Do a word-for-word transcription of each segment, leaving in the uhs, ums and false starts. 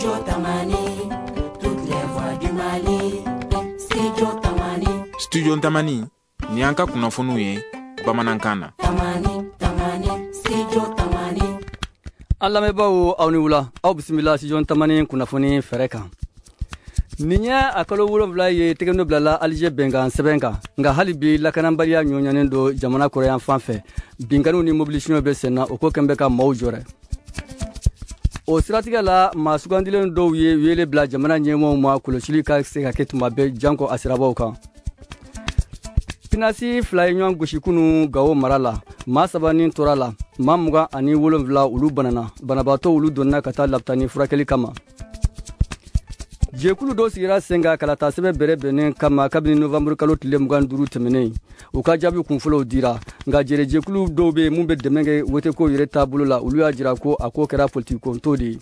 Studio Tamani, toutes les voix du Mali. Studio Tamani. Studio Tamani, ni an ka kunnafoniw ye bamanankan na. Tamani, Tamani, Studio Tamani. An lamɛnbaaw, aw ni wula, aw bisimila Studio Tamani kunnafoni fɛrɛ kan. Nin ye a kalo wolonwula ye tɛgɛnɔ bilala Alger bɛnkan sɛbɛn kan, nka hali bi lakanabaliya ɲɔɲanen don jamana kɔrɔyan fan fɛ. Binkanniw ni mobili suɲɛw bɛ sen na, o ko kɛn bɛ ka maaw jɔrɛ. O siratigɛ la, maa sugandilen dɔw ye wele bila jamana ɲɛmɔgɔw ma, kɔlɔsili ka se ka kɛ tuma bɛɛ janko a sirabaw kan. Pinasi fila ye ɲɔgɔn gosi kunu Gawo mara la, maa saba ni tora la, maa mugan ani wolonwula olu banana. Banabaatɔ olu donna ka taa lapitani furakɛli kama. Jɛkulu dɔ sigira sen kan kalata sɛbɛn bɛrɛ bɛnnen kama kabini novanburu kalo tile mugan duuru tɛmɛnen. U ka jaabi kunfɔlɔw dira, nka jɛrɛjɛkulu dɔw bɛ mun bɛ dɛmɛ kɛ woteko yɛrɛ taabolo la, olu y'a jira ko a ko kɛra politikikonto de ye.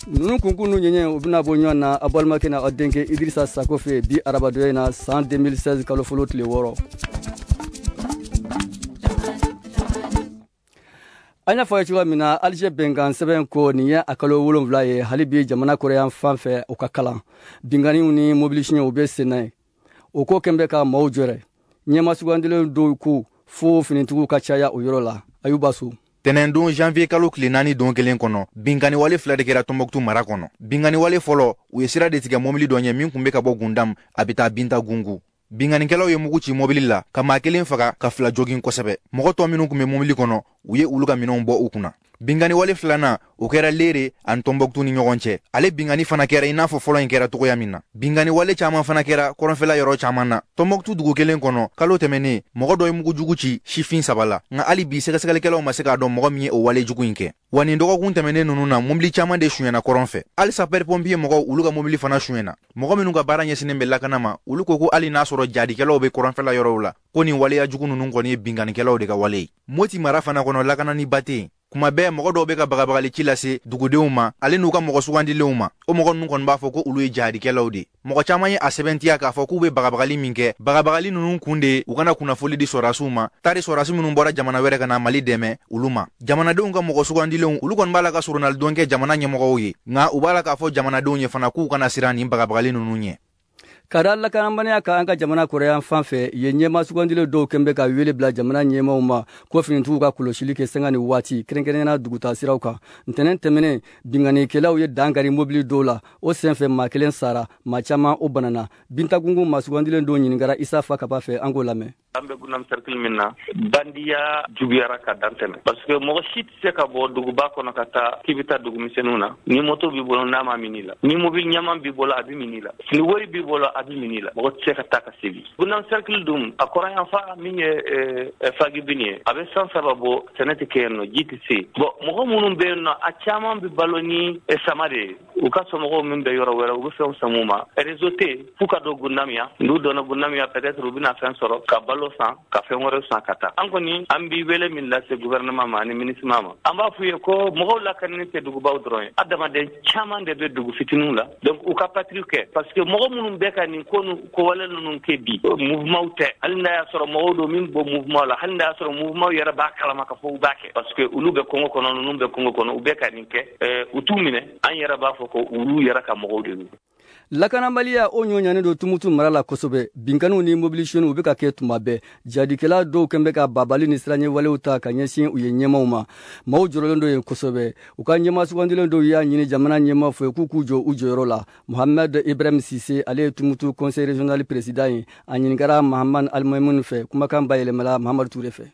Ninnu kunkun n'u ɲɛɲɛ, u bɛna bɔ ɲɔgɔn na aw balimakɛ n'a aw denkɛ Idirisa Sako fɛ bi arabadonya in na, san deux mille seize kalo fɔlɔ tile wɔɔrɔ. An y'a fɔ a ye cogoya min na, Alger bɛnkan sɛbɛn ko nin ye a kalo wolonwula ye, hali bi jamana kɔrɔyan fan fɛ u ka kalan, binkanniw ni mobili suɲɛw bɛ sen na ye. O ko kɛn bɛ ka maaw jɔrɛ. Ɲɛma sugandilen dɔw ko fo finitigiw ka caya o yɔrɔ la. Ayuba So. Tɛnɛndon janvier kalo tile naani, don kelen kɔnɔ, binkanniwale fila de kɛra Tɔnbɔkutu mara kɔnɔ. Binkanniwale fɔlɔ, u ye sira de tigɛ mɔbili dɔ ɲɛ min kun bɛ ka bɔ Gundam, a bɛ taa Binta Gungu. Binkannikɛlaw ye mugu ci mɔbili la ka maa kelen faga, ka fila jogin kosɛbɛ. Mɔgɔ tɔ minnu kun bɛ mɔbili kɔnɔ, u ye olu ka minɛnw bɔ u kunna. Binkanniwale filanan, o kɛra Lere ani Tɔnbɔkutu ni ɲɔgɔn cɛ. Ale binkanni fana kɛra i n'a fɔ fɔlɔ in kɛra cogoya min na. Binkanniwale caman fana kɛra kɔrɔnfɛla yɔrɔ caman na. Tɔnbɔkutu dugu kelen kɔnɔ, kalo tɛmɛnen, mɔgɔ dɔ ye mugu jugu ci sifin saba la, nka hali bi sɛgɛsɛgɛlikɛlaw ma se k'a dɔn mɔgɔ min ye o wale jugu in kɛ. Wa nin dɔgɔkun tɛmɛnen ninnu na, mobili caman de suyɛnna kɔrɔn fɛ. Hali sapeur pompier mɔgɔw, olu ka mobili fana suyɛnna. Mɔgɔ minnu ka baara ɲɛsinnen bɛ lakana ma, olu ko ko hali n'a sɔrɔ jadikɛlaw bɛ kɔrɔnfɛla yɔrɔw la, ko nin waleya jugu ninnu kɔni ye binkannikɛlaw de ka wale ye. Moti mara fana kɔnɔ, lakananiba tɛ yen. Kuma bɛɛ mɔgɔ dɔw bɛ ka bagabagali ci lase dugudenw ma, ale n'u ka mɔgɔ sugandilenw ma. O mɔgɔ ninnu kɔni b'a fɔ ko olu ye jahadikɛlaw de. Mɔgɔ caman ye a sɛbɛntiya k'a fɔ k'u bɛ bagabagali min kɛ, bagabagali ninnu kun de ye u kana kunnafoli di sɔrɔdasiw ma, tari sɔrɔdasi minnu bɔra jamana wɛrɛ ka na Mali dɛmɛ, olu ma. Jamanadenw ka mɔgɔ sugandilenw, olu kɔni b'a la ka soronalidon kɛ jamana ɲɛmɔgɔw ye, nka u b'a la k'a fɔ jamanadenw ye fana k'u kana siran nin bagabagali ninnu ɲɛ. Ka da lakanabaliya kan an ka jamana kɔrɔyan fan fɛ yen, ɲɛma sugandilen dɔw kɛn bɛ ka wele bila jamana ɲɛmaw ma ko finitigiw ka kɔlɔsili kɛ sanga ni waati, kɛrɛnkɛrɛnnenya duguta siraw kan. Ntɛnɛn tɛmɛnen, binkannikɛlaw ye dankari mobili dɔw la. O senfɛ, maa kelen sara, maa caman o banana. Bintagungun maa sugandilen dɔw ɲininkara Isa Fa Kaba fɛ, an k'o lamɛn. An bɛ Gundam cercle min na, bandiya juguyara ka dan tɛmɛ, parce que mɔgɔ si tɛ se ka bɔ duguba kɔnɔ ka taa k'i bɛ taa dugumisɛnninw na ni moto b'i bolo n'a ma min la, ni mobili ɲaman b'i bolo, a bɛ min la, ni wari b'i bolo, a bɛ min la. Mɔgɔ tɛ se ka taa ka segin. Gundam cercle dun, a kɔrɔyanfa min ye Fagibini ye, a bɛ san saba bɔ, sɛnɛ tɛ kɛ yen nɔ, ji tɛ se. Bon, mɔgɔ minnu bɛ yen nɔ, a caman bɛ balo ni sama de ye. U ka somɔgɔw min bɛ yɔrɔ wɛrɛ, u bɛ fɛnw san u ma. Réseau tɛ yen f'u ka don Gundam yan. N'u donna Gundam yan, peut-être u bɛna fɛn sɔrɔ ka balo san, ka fɛn wɛrɛ san ka taa. An kɔni, an b'i wele min lase gouvernement ma ani MINUSMA ma, an b'a f'u ye ko mɔgɔw lakanani tɛ dugubaw dɔrɔn ye, adamaden caman de bɛ dugu fitininw la. Donc u ka patrouille kɛ, parce que mɔgɔ minnu bɛ ka nin ko kowale ninnu kɛ bi, mouvement tɛ. Hali n'a y'a sɔrɔ mɔgɔw don min bɔ mouvement la, hali n'a y'a sɔrɔ mouvement yɛrɛ b'a kalama ka fɔ u b'a kɛ, parce que olu bɛ kungo kɔnɔ, ninnu bɛ kungo kɔnɔ, u bɛ ka nin kɛ, u t'u minɛ. An yɛrɛ b'a fɔ ko olu yɛrɛ ka mɔgɔw de don. Lakanabaliya o ɲɔɲanen don Tumutu mara la kosɛbɛ. Binkanniw ni mobili sonyɛniw bɛ ka kɛ tuma bɛɛ. Jadikɛla dɔw kɛn bɛ ka babali ni siranɲɛwalew ta ka ɲɛsin u ye ɲɛmaw ma. Maaw jɔrɔlen don yen kosɛbɛ. U ka ɲɛma sugandilen dɔw y'a ɲini jamana ɲɛma fɛ k'u k'u jɔ u jɔyɔrɔ la. Mohamed Ibrahim Sise, ale ye Tumutu conseil régional président ye. A ɲininkara Mahamad Alimamun fɛ, kumakan bayɛlɛmala Mahamadu Ture fɛ.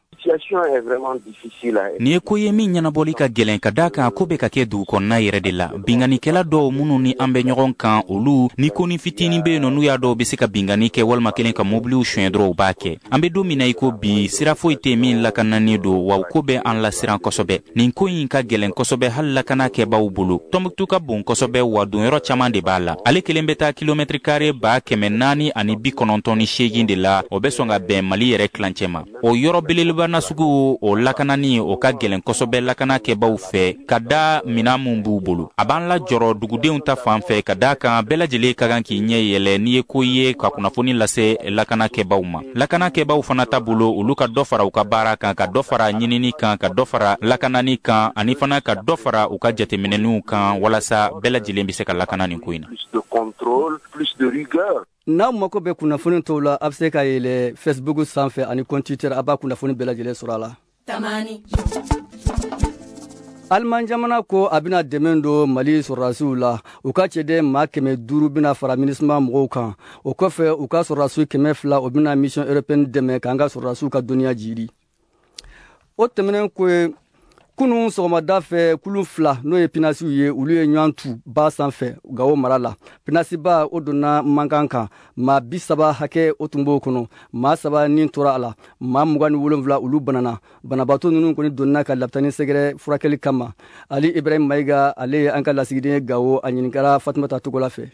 Nin ye ko ye min ɲɛnabɔli ka gɛlɛn, ka daa kan ko bɛ ka kɛ dugu kɔnɔna yɛrɛ de la. Binkannikɛla dɔw minnu ni an bɛ ɲɔgɔn kan, olu ni konin fitinin bɛ yen nɔ, n'u y'a dɔw bɛ se ka binkanni kɛ walima kelen ka mobiliw suɲɛ dɔrɔn, u b'a kɛ. An bɛ don min na i ko bi, sira foyi tɛ min lakananen don, wa ko bɛ an lasiran kosɛbɛ. Nin ko in ka gɛlɛn kosɛbɛ hali lakana kɛbaw bolo. Tɔnbuktu ka bon kosɛbɛ, wa donyɔrɔ caman de b'a la. Ale kelen bɛ taa kilomɛtiri kare ba kɛmɛ naani ani bi kɔnɔntɔn ni seegin de la, o bɛ sɔn ka bɛn Mali yɛrɛ tilancɛ ma. O yɔrɔ belebeleba nasugu o lakanani o ka gɛlɛn kosɛbɛ lakana kɛbaw fɛ ka da minan mun b'u bolo. A b'an lajɔrɔ dugudenw ta fan fɛ ka da kan bɛɛ lajɛlen ka kan k'i ɲɛ yɛlɛ n'i ye ko ye ka kunnafoni lase lakana kɛbaw ma. Lakana kɛbaw fana ta bolo, olu ka dɔ fara u ka baara kan, ka dɔ fara ɲinini kan, ka dɔ fara lakanani kan, ani fana ka dɔ fara u ka jateminɛniw kan walasa bɛɛ lajɛlen bɛ se ka lakana nin ko in na. N'aw mako bɛ kunnafoni tɔw la, a bɛ se ka yɛlɛ Facebook sanfɛ ani compte Twitter, a b'a kunnafoni bɛɛ lajɛlen sɔrɔ a la. Tamani. Aliman jamana ko a bɛna dɛmɛ don Mali sɔrɔdasiw la. U ka cɛden maa kɛmɛ duuru bɛna fara MINUSMA mɔgɔw kan. O kɔfɛ, u ka sɔrɔdasiw kɛmɛ fila o bɛna mission européenne dɛmɛ k'an ka sɔrɔdasiw ka dɔnniya jiri. O tɛmɛnen kɔ, kunun sɔgɔmada fɛ, kulu fila n'o ye pinasiw ye, olu ye ɲɔgɔn tu ba sanfɛ Gawo mara la. Pinasiba o donna mankan kan, maa bi saba hakɛ o tun b'o kɔnɔ, maa saba nin tora a la, maa mugan ni wolonwula olu banana. Banabaatɔ ninnu kɔni donna ka lapitani sɛgɛrɛ furakɛli kama. Ali Ibrahim Mayiga, ale ye an ka lasigiden ye Gawo, a ɲininkara Fatumata Togola fɛ.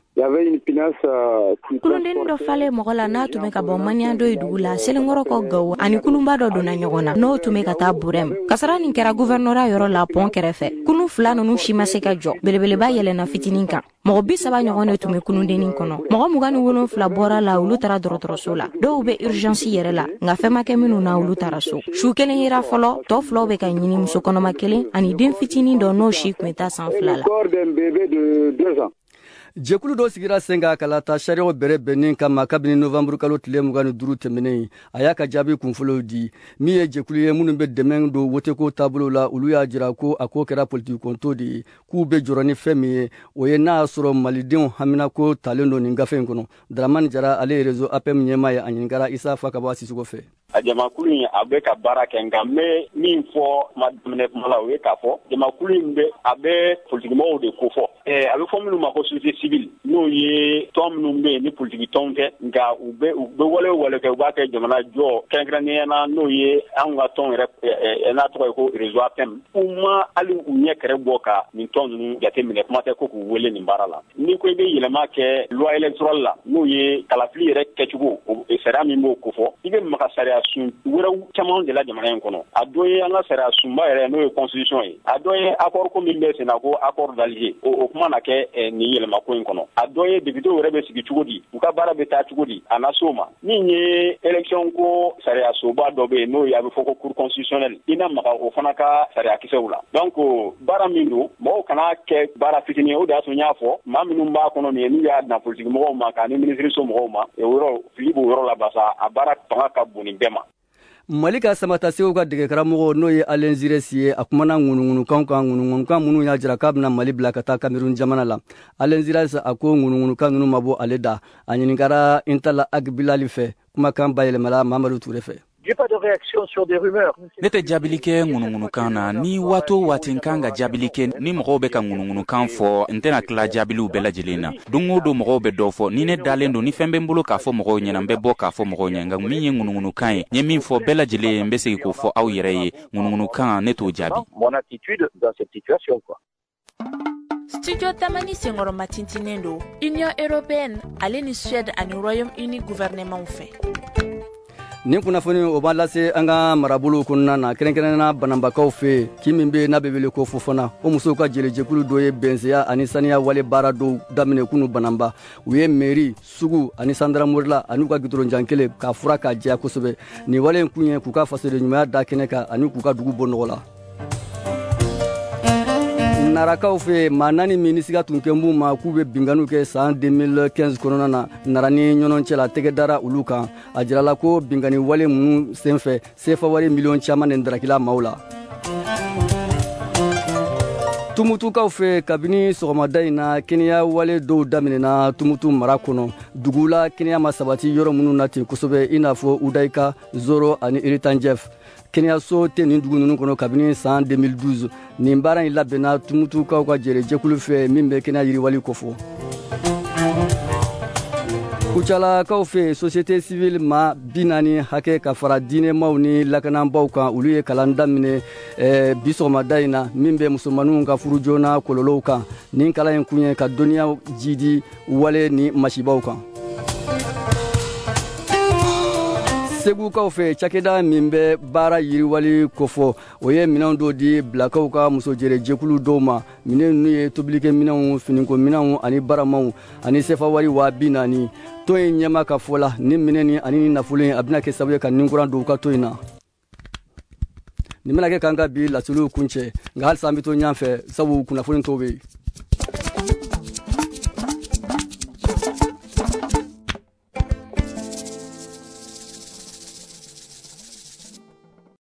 Kulundennin dɔ falen mɔgɔ la n'a tun bɛ ka bɔ Maniando ye dugu la Selenkɔrɔ kɔ Gawo, ani kulunba dɔ donna ɲɔgɔn na n'o tun bɛ ka taa Burɛm. Kasara nin kɛra guvɛrnɔra yɔrɔ la pɔn kɛrɛfɛ. Kulu fila ninnu si ma se ka jɔ, belebeleba yɛlɛnna fitinin kan. Mɔgɔ bi saba ɲɔgɔn de tun bɛ kulundennin kɔnɔ. Mɔgɔ mugan ni wolonfila bɔra la, olu taara dɔgɔtɔrɔso la. Dɔw bɛ urgence yɛrɛ la, nka fɛn ma kɛ minnu na, olu taara so. Su kelen yera fɔlɔ, tɔ filaw bɛ ka ɲini, muso kɔnɔma kelen ani den fitinin dɔ n'o si tun bɛ taa san fila la. Jɛkulu dɔ sigira sen kan kalata sariyaw bɛrɛ bɛnnen kama kabini novembre kalo tile mugan ni duuru tɛmɛnen. A y'a ka jaabi kunfɔlɔw di. Min ye jɛkulu ye minnu bɛ dɛmɛ don woteko taabolo la, olu y'a jira ko a ko kɛra politikɔnto de ye, k'u bɛ jɔrɔ ni fɛn min ye, o ye n'a y'a sɔrɔ malidenw haminako talen don nin gafe in kɔnɔ. Dramani Jara, ale ye réseau A P M ɲɛmaa ye, a ɲininkara Isa Fakaba Sisoko fɛ. A jamakulu in a bɛ ka baara kɛ, nka n bɛ min fɔ kuma daminɛ kuma la, o ye k'a fɔ jamakulu in bɛ a bɛ politikimɔgɔw de ko fɔ. A bɛ fɔ minnu ma ko société civile, n'o ye tɔn minnu bɛ yen ni politiki tɔnw tɛ, nka u bɛ u bɛ wale o wale kɛ, u b'a kɛ jamana jɔ kɛrɛnkɛrɛnnenya na, n'o ye anw ka tɔn yɛrɛ n'a tɔgɔ ye ko réseau A P M. U ma hali u ɲɛ kɛrɛ bɔ ka nin tɔn ninnu jateminɛ, kuma tɛ ko k'u wele nin baara la. N'i ko i bɛ yɛlɛma kɛ loi électorale la, n'o ye kalafili yɛrɛ kɛcogo, sariya min b'o kofɔ, i bɛ maga sariya sun wɛrɛw caman de la jamana in kɔnɔ. A dɔ ye an ka sariya sunba yɛrɛ, n'o ye constitution ye. A dɔ ye accord ko min bɛ sen na ko accord d'Alger, o o kuma na kɛ nin yɛlɛmako in kɔnɔ. A dɔ ye député yɛrɛ bɛ sigi cogo di, u ka baara bɛ taa cogo di, a na s'o ma. Min ye élection ko sariya soba dɔ bɛ yen, n'o ye a bɛ fɔ ko cour constitutionnelle, i na maga o fana ka sariya kisɛw la. Donc baara min don, mɔgɔw kana kɛ baara fitinin ye. O de y'a to n y'a fɔ maa minnu b'a kɔnɔ nin ye, n'u y'a dan politique mɔgɔw ma k'a ni ministre so mɔgɔw ma, o yɔrɔ fili b'o yɔrɔ la, basa a baara fanga ka bon nin bɛɛ ma. Mali ka samatasew ka degekaramɔgɔ, n'o ye Alain Giresse ye, a kumana ŋunuŋunukanw kan, ŋunuŋunukan minnu y'a jira k'a bɛna Mali bila ka taa Cameroun jamana la. Alain Giresse a ko ŋunuŋunukan ninnu ma bɔ ale da. A ɲininkara Intala Agbilali fɛ, kumakan bayɛlɛmala Mamadu Ture fɛ. Ne tɛ jaabili kɛ ŋunuŋunukan na. Ni waati o waati n kan ka jaabili kɛ, ni mɔgɔw bɛ ka ŋunuŋunukan fɔ, n tɛna tila jaabiliw bɛɛ lajɛlen na. Don o don mɔgɔw bɛ dɔ fɔ. Ni ne dalen don, ni fɛn bɛ n bolo k'a fɔ mɔgɔw ɲɛna, n bɛ bɔ k'a fɔ mɔgɔw ɲɛ. Nka min ye ŋunuŋunukan ye, n ye min fɔ bɛɛ lajɛlen ye, n bɛ segin k'o fɔ aw yɛrɛ ye. Ŋunuŋunukan, ne t'o jaabi. Studio Tamani senkɔrɔma tintinnen don Union européenne ale ni Suède ani Royaume-Uni gouvernement fɛ. Nin kunnafoni o b'a lase an ka marabolow kɔnɔna na, kɛrɛnkɛrɛnnenya Bananbakaw fɛ, kin min bɛ n'a bɛ wele ko Fofana. O musow ka jɛlɛjɛkulu dɔ ye bɛnseya ani saniya wale baara dɔw daminɛ kunu Bananba. U ye mairie, sugu ani sandaramorila ani u ka gidɔrɔnjan kelen k'a fura k'a jɛya kosɛbɛ. Nin wale in kun ye k'u ka fasoden ɲumanya da kɛnɛ kan ani k'u ka dugu bɔ nɔgɔ la. Narakaw fɛ, maa naani min ni siga tun kɛ b'u ma k'u bɛ binkanniw kɛ san deux mille quinze kɔnɔna na Nara ni ɲɔnɔn cɛ la, tɛgɛ dara olu kan. A jirala ko binkanni wale minnu senfɛ, sefa wari miliyɔn caman de darakila maaw la. Tumutukaw fɛ, kabini sɔgɔmada in na, kɛnɛya wale dɔw daminɛna Tumutu mara kɔnɔ. Dugu la kɛnɛya ma sabati yɔrɔ minnu na ten kosɛbɛ, i n'a fɔ Udayika, Zoro ani Iritanjɛf. Kɛnɛyaso tɛ nin dugu ninnu kɔnɔ kabini san deux mille douze. Nin baara in labɛnna Tumutukaw ka jɛrɛjɛkulu fɛ min bɛ kɛnɛya yiriwali kofɔ. Kucalakaw fɛ, société civile ma bi naani hakɛ ka fara diinɛmaw ni lakanabaaw kan, olu ye kalan daminɛ eh, bi sɔgɔmada in na min bɛ musomaninw ka furu joona kɔlɔlɔw kan. Nin kalan in kun ye ka dɔnniya jidi wale ni masibaw kan. Segukaw fɛ, cakɛda min bɛ baara yiriwali kofɔ, o ye minɛnw dɔw di bilakaw ka musojɛrɛ jɛkulu dɔw ma. Minɛn ninnu ye tobilikɛ minɛnw, finiko minɛnw ani baramaw ani sefa wari waa bi naani. Tɔn in ɲɛma ka fɔ la, ni minɛn ni ani ni nafolo in, a bɛna kɛ sababu ye ka ninkuran don u ka tɔn in na. Nin bɛna kɛ k'an ka bi laseliw kuncɛ, nka halisa an bɛ to ɲɔgɔn fɛ, sabu kunnafoni tɔw bɛ yen.